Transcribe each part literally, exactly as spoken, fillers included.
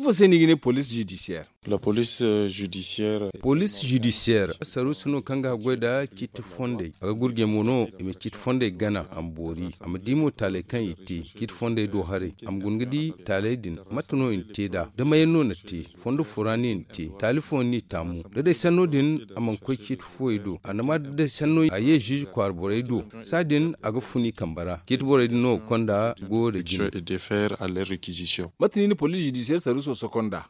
Ifo se no i ga ne police judiciaire? Police judiciaire, saruusu no kaŋ ga goy nda ciiti fondey. A ga gurjey mo no i ma ciiti fondey gana a ma boori, a ma di mo taaley kaŋ i te ciiti fondey do haray. A ma guna ga di taaley din mate no i na te nd'a, da mayaŋ no na te, fondo fo ra no i na te, taali fooyaŋ no i taamu. Da day sanno din a mana koy ciiti fooyey do, a na ma da day sanno a ye ziize kwaara borey do, saadin a ga fun i kambe ra. Ciiti borey din no ga konda goyo nda jine. Mate no i na police judiciaire saruuso sokonda?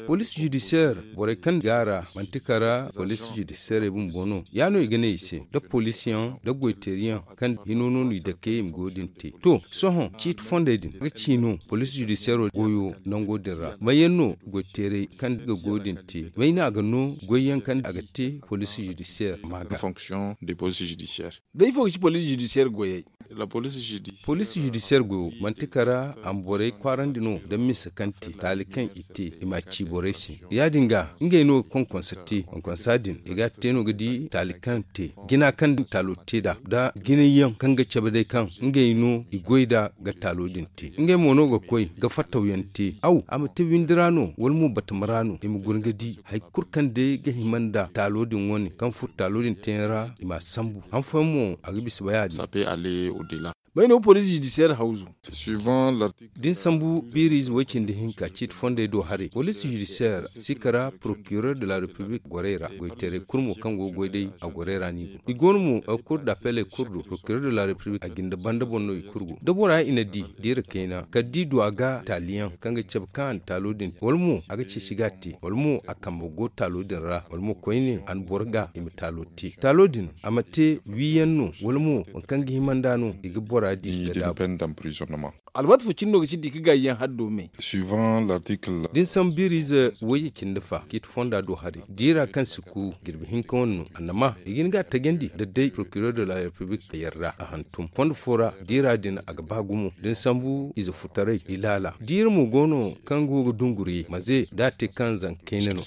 Police judiciaire borey kaŋ go a ra, manti kala police judiciaire bumbo no ya no i ga ne i se, nda poliisiyaŋ nda goyteeriyaŋ kaŋ hino no no i dake i ma goyo din te. To, sohõ ciiti fondey din a ga ci no police judiciaire goyo nango din ra, mayaŋ no goyteerey kaŋ ga goyo din te, may no a ga no goyyaŋ kaŋ a ga te police judiciaire ma ga. Day ifo ga ci police judiciaire goyey? Police judiciaire goyo manti kala a ma borey kwaarandi no nda misa kaŋ te taali kaŋ i te i ma a ci borey se. Ya- din ga ngey no ga konkonsa te, konkonsa din i ga a te no ga di taali kaŋ te, jina kaŋ taalo te nd'a, nda jinay yaŋ kaŋ ga cabe day kaŋ ngey no i goy nd'a ga taalo din te. Ngey mo no ga koy ga fattaw yaŋ te, aw a ma te windi ra no wala mo batama ra no i ma guna ga di hari kulu kaŋ day ga hima nda taalo din wane kaŋ furo taalo din teyaŋ ra i ma a sambu. Han fooyaŋ mo a ga bisa bay a din. May no police judiciaire hawzu? Da ni sambu biiriize way- cindi hinka ciiti fondey do haray police judiciaire si kara procureur de la république gorey ra, goyteerey kulu mo kaŋ go ga goy day a gorey ra no i go. I go no mo cour d'appeley kulu do, procureur de la république a jinde banda boŋ no i kulu go. Da bora i na di diira kayna kala da i du a ga taaliyaŋ kaŋ ga cabe kaŋ a na taalo din te wala mo a ga ceeci ga a te wala mo a kambe go taalo din ra wala mo koyne a na boro ga i ma taalo te, taalo din a ma te wiiyaŋ no wala mo waŋ kaŋ ga hima nd'a no i ga bora di ga daabu. Alwaati fo cine no ga ci da i ga gaayi yaŋ haddo me? Da ni sambu biiriize wayye cindi fa ciiti fonda do haray diira kaŋ si ku jirbi hinka wane no annama i ga hin ga a tajandi da day procureur de la république a yarda a hantum fondo fo ra. Diira din a ga ba gumo da ni sambu ize futaray i laala diira mo go no kaŋ go ga dunguri maze da a te kaŋ zanka kayna no.